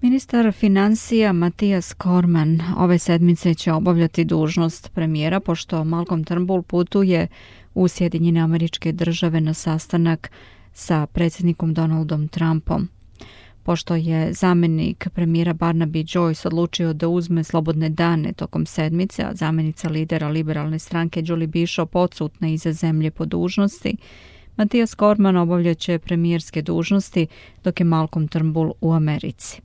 Ministar financija Mattias Cormann ove sedmice će obavljati dužnost premijera pošto Malcolm Turnbull putuje u Sjedinjene Američke Države na sastanak sa predsjednikom Donaldom Trumpom. Pošto je zamjenik premijera Barnaby Joyce odlučio da uzme slobodne dane tokom sedmice, a zamjenica lidera liberalne stranke Julie Bishop odsutna iza zemlje po dužnosti, Mattias Cormann obavljaće premijerske dužnosti dok je Malcolm Turnbull u Americi.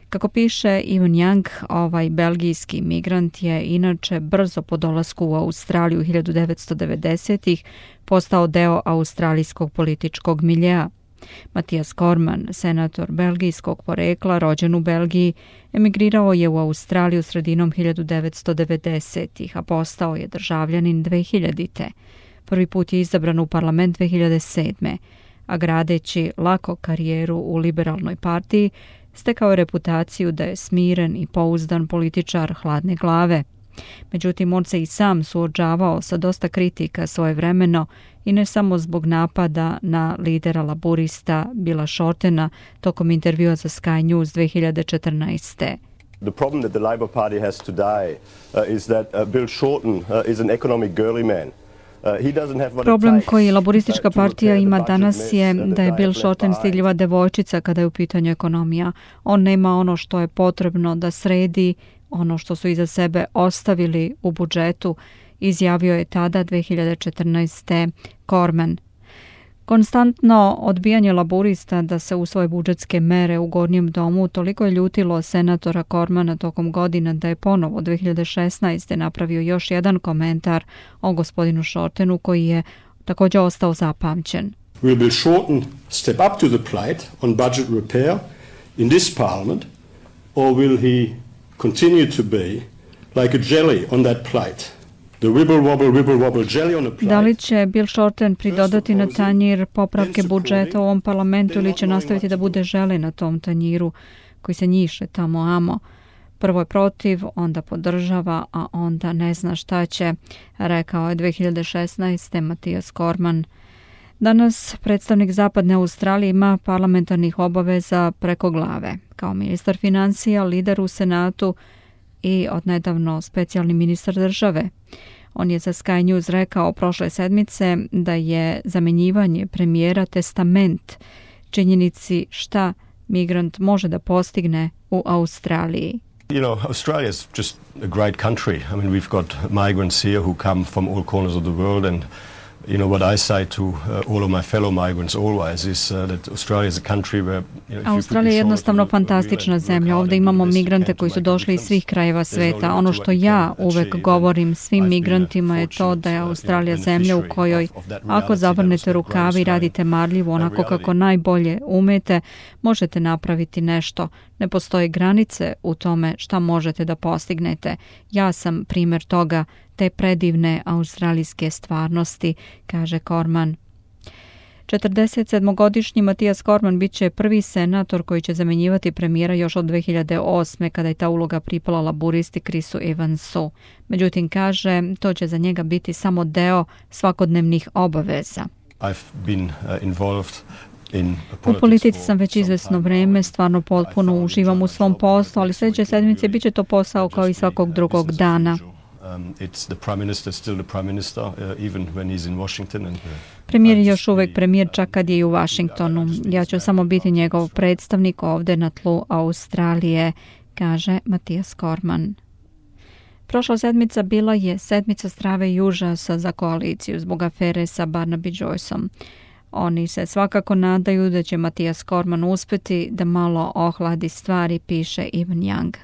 Kako piše Evan Young, ovaj belgijski migrant je inače brzo po dolasku u Australiju 1990-ih postao deo australijskog političkog miljea. Mattias Cormann, senator belgijskog porekla, rođen u Belgiji, emigrirao je u Australiju sredinom 1990-ih, a postao je državljanin 2000-te. Prvi put je izabran u parlament 2007. a gradeći lako karijeru u liberalnoj partiji, stekao je reputaciju da je smiren i pouzdan političar hladne glave. Međutim, on se i sam suočavao sa dosta kritika svojevremeno i ne samo zbog napada na lidera laburista Billa Shortena tokom intervjua za Sky News 2014. The problem that the Labour Party has today is that Bill Shorten is an economic girly man. Problem koji laboristička partija ima danas je da je Bill Shorten stidljiva devojčica kada je u pitanju ekonomija. On nema ono što je potrebno da sredi ono što su iza sebe ostavili u budžetu, izjavio je tada 2014. Cormann. Konstantno odbijanje laburista da se usvoje budžetske mere u Gornjem domu toliko je ljutilo senatora Cormanna tokom godina da je ponovo 2016. napravio još jedan komentar o gospodinu Shortenu koji je također ostao zapamćen. Will Bill Shorten step up to the plate on budget repair in this parliament or will he continue to be like a jelly on that plate? Da li će Bill Shorten pridodati na tanjir popravke budžeta u ovom parlamentu ili će nastaviti da bude žele na tom tanjiru koji se njiše tamo amo? Prvo je protiv, onda podržava, a onda ne zna šta će, rekao je 2016. Mattias Cormann. Danas predstavnik Zapadne Australije ima parlamentarnih obaveza preko glave. Kao ministar financija, lider u Senatu i odnedavno specijalni ministar države. On je za Sky News rekao prošle sedmice da je zamjenjivanje premijera testament činjenici šta migrant može da postigne u Australiji. You know, Australia is just a great country. I mean, we've got migrants here who come from all corners of the world and you know what I say to all of my fellow migrants always is that Australia is a country where Australija je jednostavno fantastična zemlja. Ovdje imamo migrante koji su došli iz svih krajeva sveta. Ono što ja uvek govorim svim migrantima je to da je Australija zemlja u kojoj ako zavrnete rukave i radite marljivo onako kako najbolje umete, možete napraviti nešto. Ne postoje granice u tome šta možete da postignete. Ja sam primjer toga, te predivne australijske stvarnosti, kaže Cormann. 47-godišnji Mattias Cormann bit će prvi senator koji će zamjenjivati premijera još od 2008. kada je ta uloga pripala laburisti Chrisu Evansu. Međutim, kaže, to će za njega biti samo deo svakodnevnih obaveza. U politici sam već izvesno vrijeme, stvarno potpuno uživam u svom poslu, ali sljedeće sedmice bit će to posao kao i svakog drugog dana. Premijer je još uvijek premijer čak kad je i u Washingtonu. Ja ću samo biti njegov predstavnik ovdje na tlu Australije, kaže Mattias Cormann. Prošla sedmica bila je sedmica strave i užasa za koaliciju zbog afere sa Barnaby Joyceom. Oni se svakako nadaju da će Mattias Cormann uspjeti da malo ohladi stvari, piše Evan Young.